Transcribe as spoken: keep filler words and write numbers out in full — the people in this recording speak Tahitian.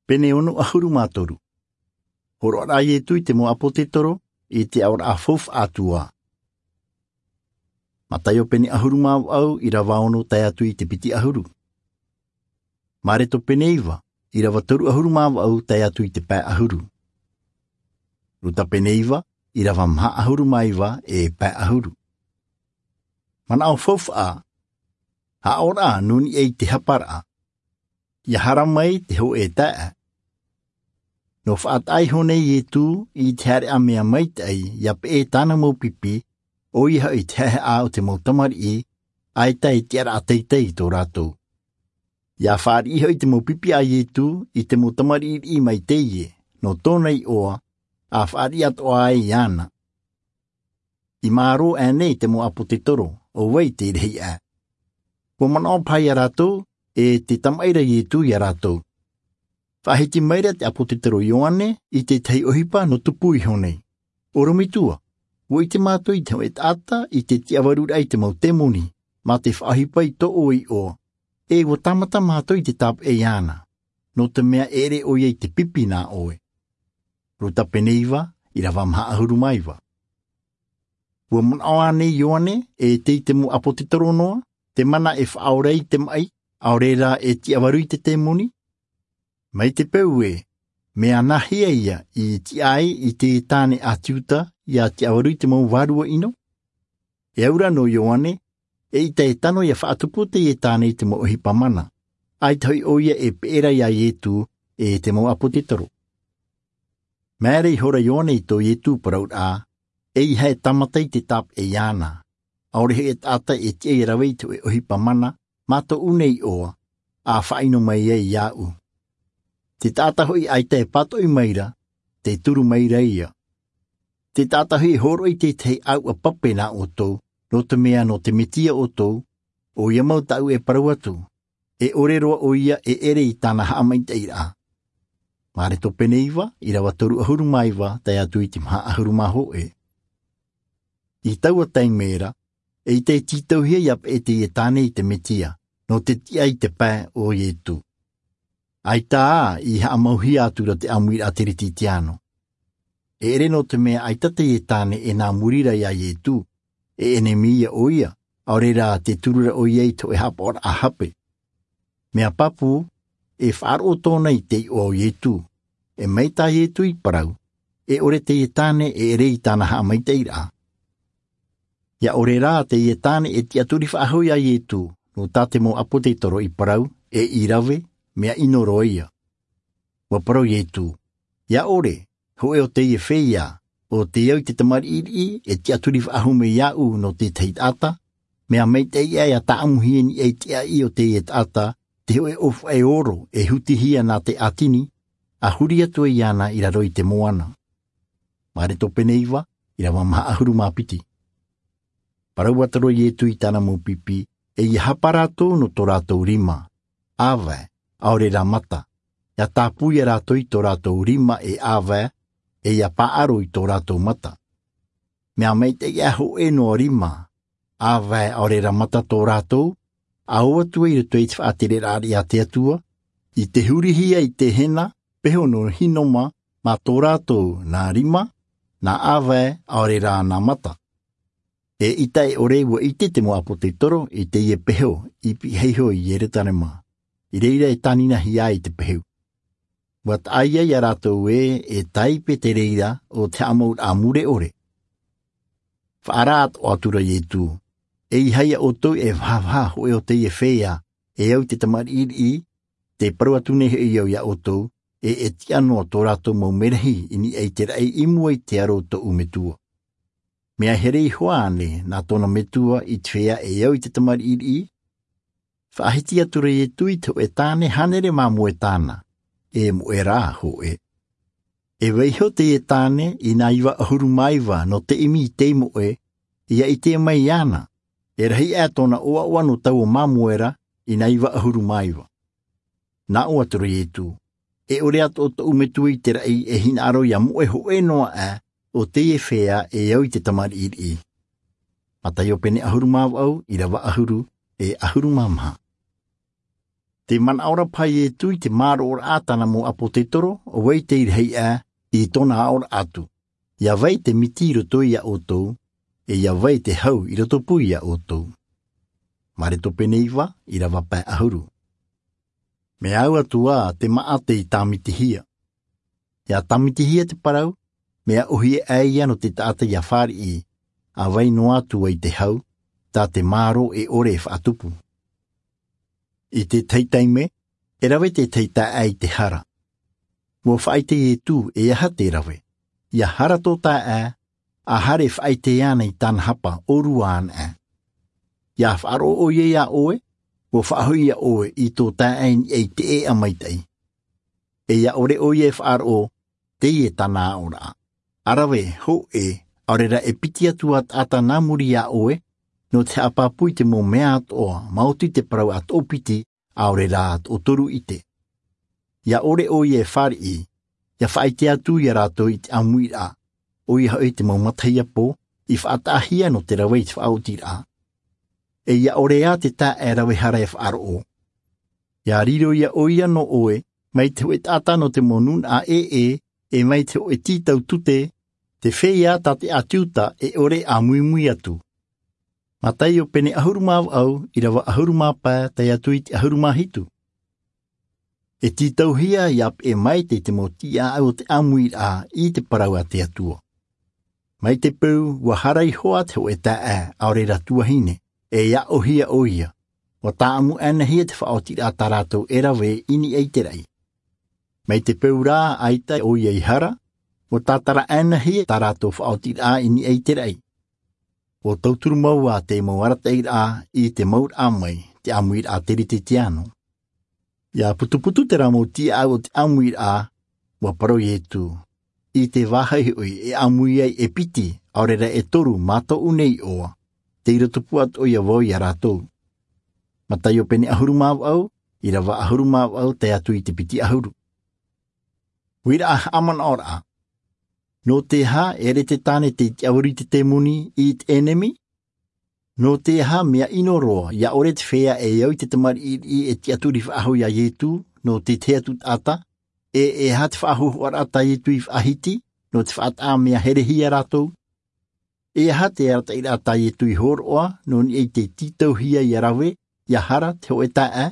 Pene ono ʻahuru mā toru. Hōroʻa a iesu i te mau ʻāpōsetolo i te aʻoraʻa faufaʻa atu ā. Mataio pene ʻahuru mā vaʻu ʻirava ono tae atu i te piti ʻahuru. Mareko pene iva ʻirava toru ʻahuru mā vaʻu tae atu i te pae ʻahuru. Luka pene iva ʻirava maha ʻahuru mā iva e pae ʻahuru. Manaʻo faufaʻa. Aʻoraʻa nō niʻa i te haparaʻa. Ia hara mai te hōʻē taeaʻe. Nō faʻataʻa iho nei iesu i te haereʻa mea maitaʻi ia peʻe tāna mau pipi, ʻoia hoʻi te haʻehaʻa o te mau tamariʻi, ʻaita e tiʻaraʻa teitei i tō rātou. Ia fāriʻi hoʻi te mau pipi a iesu i te mau tamariʻiriʻi mai teie nō tōna iʻoa, a fāriʻi atoʻa ai iāna. I mārō ʻānei te mau ʻāpōsetolo ʻo vai te rahi ʻā? Ua manaʻo paha ia rātou e te tamaʻi ra iesu ia rātou. Faʻahiti maira te ʻāpōsetolo ioane i te tahi ʻohipa nō tupu iho nei. Orometua, ua ʻite mātou i te hōʻē taʻata i te tiʻavaruraʻa i te mau temoni mā te faʻaʻohipa i tō ʻoe iʻoa, e ua tāmata mātou i te tāpeʻa iāna, nō te mea e ʻere ʻoia i te pipi nā ʻoe. Luka pene iva ʻirava maha ʻahuru mā iva. Ua manaʻo ʻānei ioane e te i te mau ʻāpōsetolo noa te mana e faʻaora i te maʻi, ʻaore rā e tiʻavaru i te temoni? Mai te peu ē, mea nāhea ia i tiʻa ai i te tāne a tiuta ia tiʻavaru i te mau vārua ʻino? E aura nō ioane, eʻita e tano ia faʻatupu teie tāne i te mau ʻohipa mana, ʻaita hoʻi ʻoia e peʻe ra ia iesu e te mau ʻāpōsetolo. Māere ihora ioane i tō iesu parauraʻa, ʻeiaha e tāmata i te tāpeʻa iāna, ʻaore hoʻi e taʻata e tiʻa ia rave i te hōʻē ʻohipa mana mā tōʻu nei iʻoa, a faʻaʻino mai ai iāʻu. Te taʻata hoʻi ʻaita e pātoʻi maira, te turu maira ia. Te taʻata hoʻi e hōroʻa i te tahi ʻāuʻa pape nā ʻoutou, nō te mea nō te mesia ʻoutou, ʻoia mau tāʻu e parau atu, e ʻore roa ʻoia e ʻere i tāna haʻamaitaʻiraʻa. Mareko pene iva ʻirava toru ʻahuru mā iva tae atu i te maha ʻahuru mā hōʻē. I taua taime ra, eʻita e tītauhia ia peʻe teie tāne i te mesia nō te tiʻa i te pae o iesu. ʻAita ā i haʻamauhia atu ra te ʻāmuiraʻa teretitiano. E ʻere nō te mea ʻaita teie tāne e nā muri ra ia iesu, e ʻenemi ia ʻoia, ʻaore rā te turu ra ʻoia i te hōʻē haʻapaʻoraʻa hape. Mea pāpū, e faʻaroʻo tōna i te iʻoa o iesu. E mai tā iesu i parau, e ʻore teie tāne e ʻere i tāna haʻamaitaʻiraʻa. Ia ʻore rā teie tāne e tiʻaturi faʻahou ia iesu, nō tā te mau ʻāpōsetolo i parau, e i rave, mea ʻino roa ia. Ua parau iesu, ia ʻore, hōʻē o teie feiā, ʻo te au i te tamariʻiriʻi e tiʻaturi faʻahou mai iāʻu nō te tahi taʻata, mea maitaʻi ia tāʻamuhia i niʻa i te ʻaʻi o teie taʻata te hōʻē ʻōfaʻi oro e hutihia nā te ʻātini, a huri atu ai iāna i raro i te moana. Mareko pene iva ʻirava maha ʻahuru mā piti. Parau atu ra iesu i tāna mau pipi, e ia hapa rātou nō tō rātou rima, ʻāvae, ʻaore rā mata. Ia tāpū ia rātou i tō rātou rima e ʻāvae, e ia paʻaro i tō rātou mata. Mea maitaʻi ʻā hōʻē noa rima, ʻāvae, ʻaore rā mata tō rātou, a ō atu ai i roto i te faʻatereraʻa a te atua, i te hurihia i te hena peho nō hinoma, mā tō rātou nā rima, nā ʻāvae, ʻaore rā nā mata. Eʻita e ʻore ua ʻite te mau ʻāpōsetolo i teie peho i pihaʻi iho i ierusalema, i reira e tāninahia ai te pehu. Ua taʻa ia rātou ē e tāipe te reira o te haʻamauraʻa mure ʻore. Faʻaara atoʻa atu ra iesu, e ʻeiaha ia ʻoutou e vahavaha hōʻē o teie feiā e au i te tamariʻiriʻi, te parau atu nei hoʻi au ia ʻoutou, e e tiʻa noa tō rātou mau merahi i niʻa i te raʻi i mua i te aro o tōʻu metua. Mea here iho ānei nā tōna metua i te feiā e au i te tamariʻiriʻi? Faʻahiti atu ra iesu i te hōʻē tāne hānere māmoe tāna, e moʻe rā hōʻē. E vaiiho teie tāne i nā iva ʻahuru mā iva nō te ʻimi i te moʻe, ia ʻite mai iāna, e rahi ʻā tōna ʻoaʻoa nō taua māmoe ra i nā iva ʻahuru mā iva. Nā ʻō atu ra iesu, e ʻore atoʻa tōʻu metua i te raʻi e hinaʻaro ia moʻe hōʻē noa ʻā o teie feiā e au i te tamariʻiriʻi. Mataio pene ʻahuru mā vaʻu ʻirava ʻahuru e ʻahuru mā maha. Te manaʻo ra paha iesu i te māroʻoraʻa a tāna mau ʻāpōsetolo, ʻo vai te iraʻa i tōna aʻoraʻa atu? Ia vai te miti i roto iā ʻoutou, e ia vai te hau i roto pū iā ʻoutou? Mareko pene iva, ʻirava pae ʻahuru. Mea au atu ā te maʻa tei tāmitihia. Ia tāmitihia te parau, mea ʻohie ʻai ia nō te taʻata ia fāriʻi, ʻa vai noa atu ai te hau, tā te mārō e ʻore e faʻatupu. I te tahi taime, e rave te tahi taeaʻe i te hara. Ua faʻaʻite iesu e aha te rave. Ia hara tō taeaʻe, ʻa haere e faʻaʻite ana i tāna hapa ʻōrua ana. Ia faʻaroʻo ʻoia iā ʻoe, ua faʻahoʻi iā ʻoe i tō taeaʻe i niʻa i te ʻēʻa maitaʻi. E ia ʻore ʻoia e faʻaroʻo, teie tāna aʻoraʻa. ʻA rave, hōʻē, ʻaore rā e piti atu ā taʻata nā muri iā ʻoe, nō te haʻapāpū i te mau mea atoʻa, maoti te parau ʻa toʻopiti, ʻaore rā toʻotoru ʻite. Ia ʻore ʻoia e fāriʻi, ia faʻaʻite atu iā rātou i te ʻāmuiraʻa, ʻoia hoʻi te mau matahiapo, i faʻataʻahia nō te rave i te faʻaotiraʻa. E ia ʻore ā te taeaʻe rave hara e faʻaroʻo. Ia riro iā ʻoia nō ʻoe, mai te hōʻē taʻata nō te mau nūnaʻa ʻē, e mai te hōʻē tītau tute, te feiā tā te ʻāti Iuda e ʻore e ʻāmuimui atu. Mataio pene ʻahuru mā vaʻu, ʻirava ʻahuru mā pae, tae atu i te ʻahuru mā hitu. E tītauhia ia peʻe maite i te mau tiʻaʻau o te ʻāmuiraʻa i te parau a te Atua. Mai te peu, ua hara iho ā te hōʻē taeaʻe, ʻaore rā tuahine, e ia ʻohie ʻoia. Ua tāʻamu ʻānaʻe hia te faʻaotiraʻa tā rātou e rave i niʻa i te raʻi. Mai te peu rā, ʻaita ʻoia i hara, ua tātara ʻānaʻe hia tā rātou faʻaotiraʻa i niʻa i te raʻi. Ua tauturu mau ā te mau arataʻiraʻa i te mauraʻa mai, te ʻāmuiraʻa teretetiano. Ia putuputu terā mau tiʻaʻau o te ʻāmuiraʻa, ua parau iesu. I te vāhi hoʻi e ʻāmui ai e piti, ʻaore rā e toru mā tōʻu nei iʻoa, tei roto pū atoʻa ia vau iā rātou. Mataio pene ʻahuru mā vaʻu, ʻirava ʻahuru mā vaʻu tae atu i te piti ʻahuru. Uiraʻa haʻamanaʻoraʻa. Nō te aha e ʻere te tāne tei tiʻavāru i te temoni i te ʻenemi? Nō te aha mea ʻino roa ia ʻore te feiā e au i te tamariʻi e tiʻaturi faʻahou iā iesu, nō te tahi atu taʻata? E e aha te faʻahou hoʻoraʻa tā iesu i faʻahiti, nō te faʻataʻa mea herehia rātou? E aha te arataʻiraʻa tā iesu i hōroʻa nō niʻa i te tītauhia ia rave, ia hara te hōʻē taeaʻe?